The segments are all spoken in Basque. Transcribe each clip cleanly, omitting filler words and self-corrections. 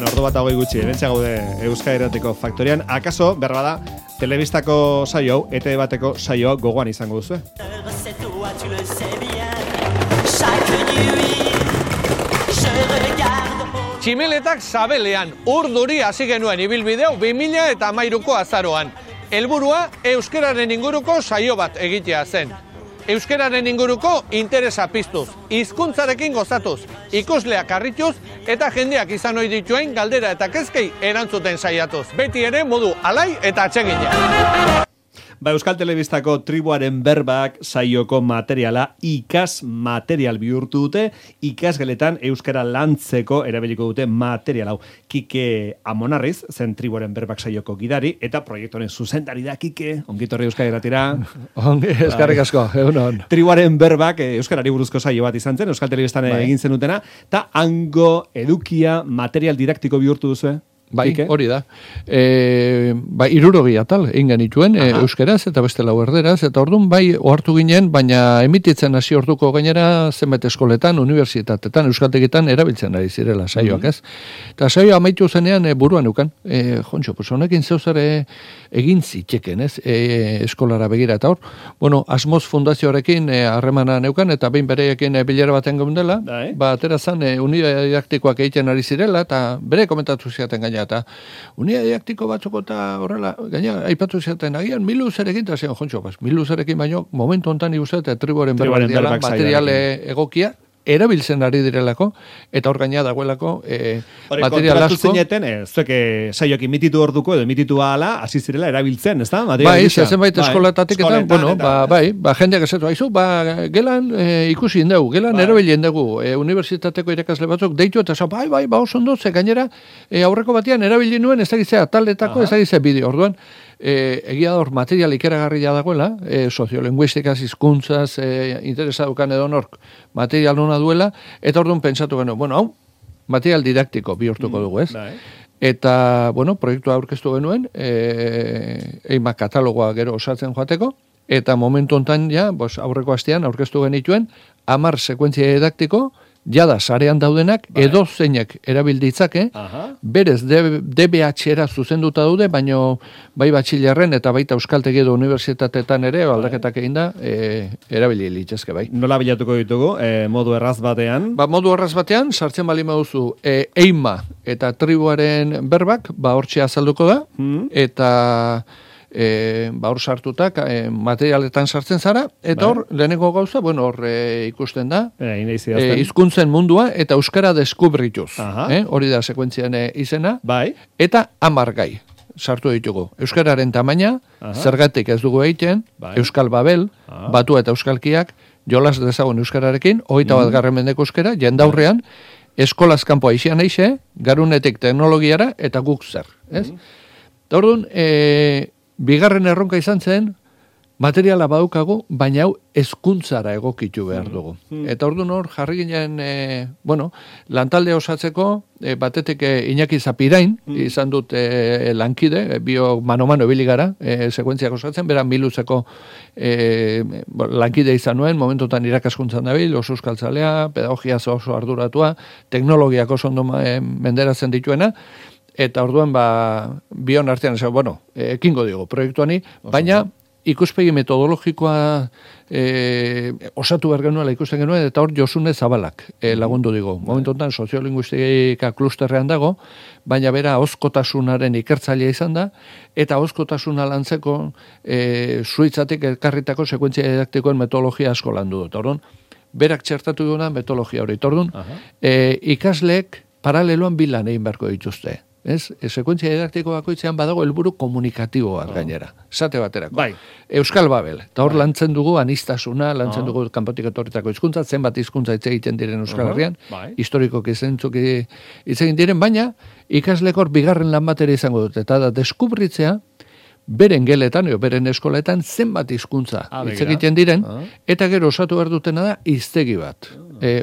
Bueno, ordu bat hogei gutxi, bentsa gaude Euskadi Irratiko Faktorian. Akaso, berbada, telebistako saio hau, ETV bateko saioa gogoan izango duzu. Tximeletak Zabelean, urduri hasi genuen ibilbideu 2013ko azaroan. Helburua euskararen inguruko saio bat egitea zen. Euskararen inguruko interesa piztuz, hizkuntzarekin gozatuz, ikusleak harrituz eta jendeak izan ohi dituen galdera eta kezkei erantzuten saiatuz. Beti ere modu alai eta atsegina. Euskal Telebistako Tribuaren Berbak saioko materiala ikas material bihurtu dute, ikasgeletan euskara lantzeko erabiliko dute material hau. Kike Amonarriz, zen Tribuaren Berbak saioko gidari, eta proiektoren zuzendari da Kike, ongitorri Euskadi Irratira. Ongi, eskarrik asko, egunon. Tribuaren Berbak euskarari buruzko saio bat izan zen, Euskal Telebistan egin zenutena, eta hango edukia material didaktiko bihurtu duzu, Bai, hori da. 60 atal egin genituen euskeraz eta beste 4 erderaz, eta orduan bai ohartu ginen, baina emititzen hasi orduko gainera zenbait eskoletan, unibertsitatetan, euskaltegitan erabiltzen ari zirela saioak, ez? Eta saioa amaitu zenean buruan eukan. Jontxo, pues honekin zeuzare egin zitzeken, ez? Eskolara begira eta hor. Bueno, Asmoz Fundazioarekin harremana neukan, eta behin bereekin bilera baten geundela, atera zan unidade didaktikoak egiten ari zirela, eta bere komentatu ziaten gaina eta unidade didaktiko batzuk eta horrela, gaina aipatu ziaten agian miluzerekin, eta zian, jontxo, miluzerekin baino, momentu hontan ikusten, eta Tribuaren Berbak diala, materiale egokia, erabiltzen ari direlako, eta hor gaina dagoelako material asko. Zineten, zuek saioak emititu orduko edo emititu ahala, hasi zirela erabiltzen, ez da? Bai, zenbait eskolatatik eta, bueno, jendeak esetu, haizu, gelan ikusi indegu, gelan erabilien dugu, unibertsitateko irakasle batzuk deitu, eta bai, oso ondo, ze gainera, aurreko batean erabili nuen, ez dakitzea taletako, ez dakitzea bideo, orduan, egia da hor material ikeragarria dagoela, soziolinguistikaz, hizkuntzaz, interesa dukan edo nork material nuna duela, eta orduan pentsatu genuen, bueno, hau, material didaktiko bihurtuko dugu, ez? Eta, bueno, proiektua aurkeztu genuen, eima katalogoa gero osatzen joateko, eta momentu hontan ja, aurreko astean aurkeztu genituen, 10 sekuentzia didaktiko, jada sarean daudenak, edo zeinek erabilditzake, berez DBH-era zuzenduta daude, baino bai batxilerren eta baita euskaltegi edo unibertsitatetan ere, aldaketak egin da, erabili litzezke bai. Nola bilatuko ditugu, modu erraz batean? Modu erraz batean, sartzen bali maduzu, eima eta Tribuaren Berbak, hortxe azalduko da, eta hor sartutak materialetan sartzen zara, eta hor, lehenengo gauza, bueno, hor ikusten da, hizkuntzen mundua, eta euskara deskubrituz. Hori da sekuentzian izena, eta 10 gai sartu ditugu. Euskararen tamaina, zergatik ez dugu egiten, Euskal Babel, Batua eta Euskalkiak, jolas dezagun euskararekin, 21. mendeko euskara, jendaurrean, eskolaz kanpo aixian eixe, garunetik teknologiara, eta guk zer. Orduan, bigarren erronka izan zen, materiala badukagu, baina hau hezkuntzara egokitu behar dugu. Eta orduan hor, jarri ginen, lantalde osatzeko, batetik Iñaki Zapirain, izan dut lankide, bio mano-mano ebili gara, sekuentziak osatzen, bera miluzeko lankide izan nuen, momentotan irakaskuntzan dabil, oso euskaltzalea, pedagogia oso arduratua, teknologiak oso ondo menderatzen dituena, eta orduan, bion artean, ekingo digo proiektuani, baina ikuspegi metodologikoa osatu behar genuela ikusten genuen, eta hor Josune Zabalak lagundu digo. Momentu honetan soziolinguistika klusterrean dago, baina bera ahozkotasunaren ikertzailea izan da, eta ahozkotasuna lantzeko zuitzatik elkarritako sekuentzia didaktikoen metodologia asko landu dut. Orduan, berak txertatu duena metodologia hori. Orduan, ikasleek paraleloan bilan egin beharko dituzte. Sekuentzia didaktiko bakoitzean badago helburu komunikatiboa gainera. Esate baterako. Euskal Babel. Eta hor lantzen dugu anistasuna, lantzen dugu kanpotik etorritako hizkuntza, zenbat hizkuntza hitz egiten diren Euskal Herrian, historikoki zentzuk hitz egin diren, baina ikaslek hor bigarren lan batera izango dute. Eta da, deskubritzea, beren geletan, beren eskoletan, zenbat hizkuntza hitz egiten diren, eta gero osatu behar dutena da hiztegi bat.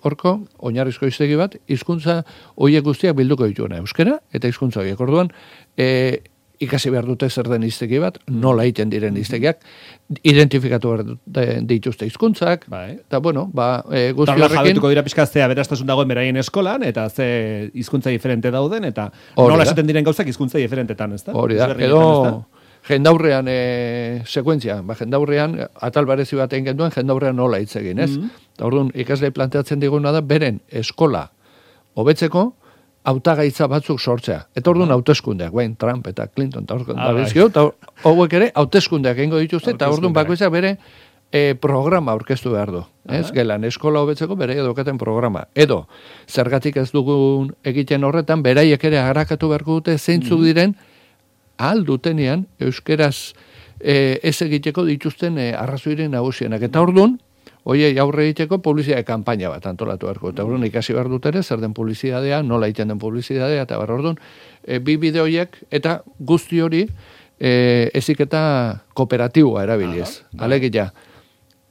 Horko, oinarrizko hiztegi bat, hizkuntza horiek guztiak bilduko dituena euskera, eta hizkuntza horiek. Orduan, ikasi behar dute zer den hiztegi bat, nola egiten diren hiztegiak, identifikatu behar dituzte hizkuntzak, eta bueno, guzti horrekin... Jabetuko dira pixkaztea beraztasun dagoen beraien eskolan, eta ze hizkuntza diferente dauden, eta nola esaten diren gauzak hizkuntza diferentetan, ez da? Hori da, edo jendaurrean sekuentzia, jendaurrean atal barezi bat egin genduen, jendaurrean nola hitz egin, ez? Eta orduan, ikasle planteatzen diguna da, beren eskola hobetzeko, hautagaitza batzuk sortzea. Eta orduan hauteskundeak, Trump eta Clinton, eta hauek ere hauteskundeak egingo dituzte, eta orduan bakoitzak bere programa aurkeztu behar du. Gelan, eskola hobetzeko bere edukaten programa. Edo, zergatik ez dugun egiten horretan, beraiek ere harakatu beharko dute zeintzuk diren, ahal dutenean, euskeraz ez egiteko dituzten arrazoiren nagusienak. Eta orduan, oie, aurre egiteko publizitate kanpaina bat antolatu beharko. Eta orduan ikasi behar dut ere, zer den publizitatea, nola egiten den publizitatea, eta behar orduan, bi bideoiek eta guzti hori eziketa kooperatiboa erabiliz. Alegia,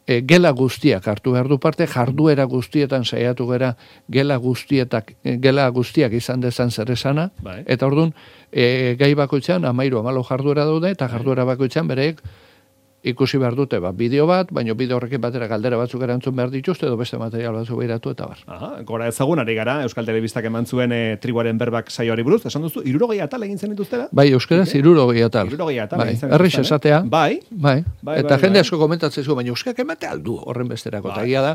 gela guztiak hartu behar du parte, jarduera guztietan saiatu gara gela guztiak izan dezan zer esana, eta orduan, gai bakoitzean, 13 jarduera daude, eta jarduera bakoitzean bereek ikusi behar dute, bideo bat, baina bideo horrekin batera galdera batzuk erantzun behar dituzte, edo beste material batzuk behiratu eta bar. Gora ezagun, ari gara, Euskal Telebistak eman zuen Tribuaren Berbak saioari buruz, esan duzu, 60 atal egin zen dituztera? Bai, euskaraz 60 atal. 60 atal egin zen. Errix esatea. Bai. Eta jende asko komentatzen zu, baina euskak emate aldu horren besterako. Eta gira da,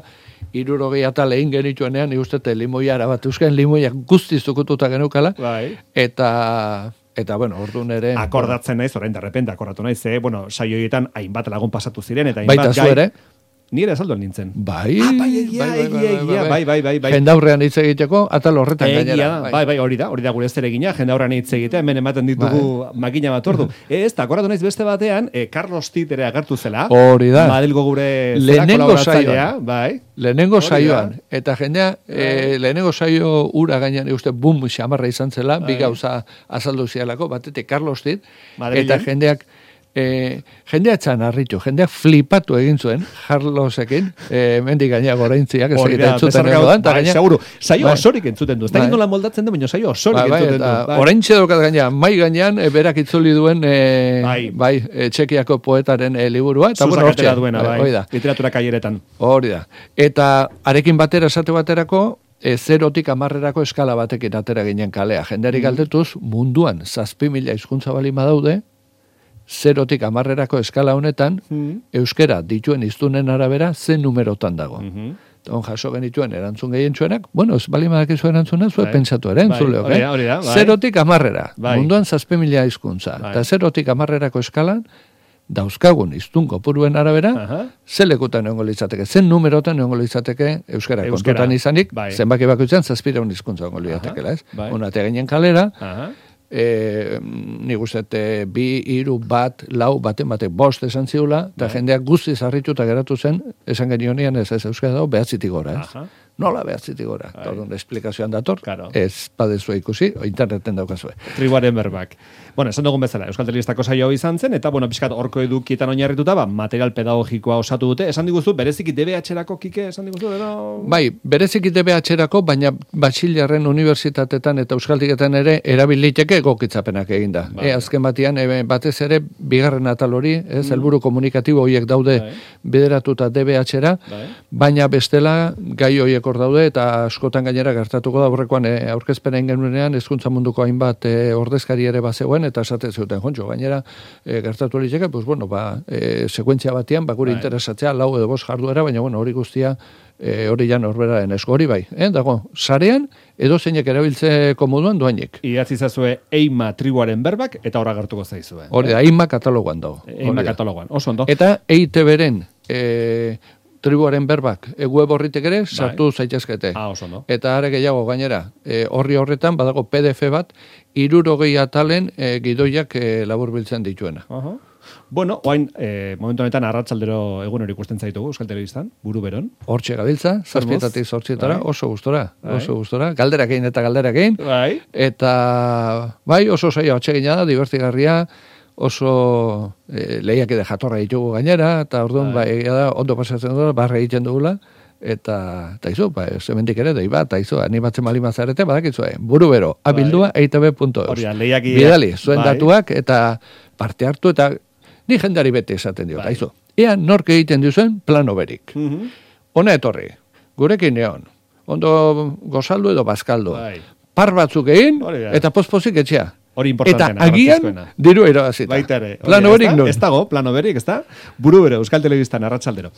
60 atal egin genituenean, ustete limoia arabat, euskan limoia guztiz zukututa genukala, eta, bueno, orduan ere... Akordatzen naiz, orain derrepente akordatu naiz, saioietan hainbat lagun pasatu ziren, eta hainbat gai... Ni ere azalduan nintzen. Bai. Jendaurrean hitz egiteko, atal horretan gainera. Bai, hori da gure zeregina, jendaurrean hitz egitea, hemen ematen ditugu makina bat ordu. Ez, akordatu naiz beste batean, Carlos Tit ere agertu zela. Hori da. Madrilgo gure zera kolaboratzailea. Lehenengo saioan. Eta jendea, lehenengo saio ura gainean, uste, bum, xamarra izan zela, bi gauza azaldu zialako, batetik Carlos Tit, eta jendeak, jendea txan harritu, jendeak flipatu egin zuen, Carlosekin, mendik gaina goraintziak, ez egiten entzuten egodan, eta gaina... Seguro, saio osorik entzuten du, ez da nola moldatzen du, baina saio osorik entzuten du. Oraintxe daukat gaina, mai gainean, berak itzuli duen, Txekiako poetaren liburua, eta bueno, hortxe duena, literatura kaieretan. Hori da. Eta arekin batera, esate baterako, 0-tik 10 eskala batekin atera ginen kalea. Jendeari galdetuz, munduan 7.000 hizkuntza bali badaude, 0-tik 10 eskala honetan, euskera dituen hiztunen arabera, zen numerotan dago. On jaso genituen erantzun gehientsuenak, bueno, ez bali madakizu erantzuna, zuet pentsatu ere, entzuleok, 0-tik 10, munduan 7.000 hizkuntza. Eta 0-tik 10 eskalan, dauzkagun hiztun kopuruen arabera, ze lekutan egongo litzateke, zen numerotan egongo litzateke euskara kontutan izanik, zenbaki bakoitzan 700 hizkuntza egongo litzatekela, ez? Onatea ginen kalera, nik uste 2, 3, 1, 4, bate, 5 esan ziula, eta jendeak guztiz harrituta geratu zen, esan genionean ez euskara dago, 9 gora, ez? Nola 9 gora? Tordun, esplikazioan dator, ez badezua ikusi, interneten daukazue. Tribuaren Berbak. Bueno, esan dugun bezala, Euskal Telebistako saio izan zen, eta, bueno, pixkat horko edukietan oinarrituta, material pedagogikoa osatu dute. Esan diguzu, bereziki DBH-erako, Kike, esan diguzu, edo? Bai, bereziki DBH-erako, baina Batxilerren unibertsitatetan eta euskaltiketan ere erabiliteke egokitzapenak eginda. Azken batean, batez ere, bigarren atal hori, helburu komunikatibo horiek daude bideratuta DBH-era, baina bestela gai horiek hor daude, eta askotan gainera gertatuko da horrekoan aurkezpena ingenuenean, hezkuntza munduko hainbat ordezkari ere bazegoen, eta esaten zuten jontxo, gainera gertatu horitzeke, pues bueno, sekuentzia batean, gure interesatzea, 4 edo 5 jarduera, baina bueno, hori guztia, hori jan horberaren esko, hori bai, dago, sarean, edo zeinek erabiltzeko moduan doainek. Idatzi zazue Eima Tribuaren Berbak, eta horra gertuko zaizue. Hori da, Eima kataloguan dago. Eima kataloguan, oso ondo. Eta EITB-ren Tribuaren Berbak web horritek ere sartu zaitezkete. Oso ondo. Eta are gehiago gainera, horri horretan badago PDF bat 60 atalen gidoiak laburbiltzen dituena. Bueno, oain, momentu honetan arratsaldero egun hori ikusten zaitugu Euskal Telebistan, buru beron. Hortxe gabiltza, 7-tik 8 oso gustora. Galderak egin eta galderak egin. Eta, bai, oso saio atsegina da, divertigarria, oso lehiak jatorra ditugu gainera, eta orduan, bai, ondo pasatzen dugula, barra egiten dugula, eta izu, zementik ere, dei bat, izu, animatzen malimazarete, badakizu, buru bero, abildua, eitb.eus. Bidali, zuen datuak, eta parte hartu, eta ni jendari bete esaten dio, izu. Ea nork egiten duzuen plano berik. Hona etorri, gurekin neon, ondo gozaldu edo bazkaldu. Par batzuk egin, eta pospozik etxea. Hori importantena. Eta agian, diru erabazita. Baita ere. Plano berik nun. Ez dago, plano berik, ez da? Buru bero, Euskal Telebistan, arratsaldero.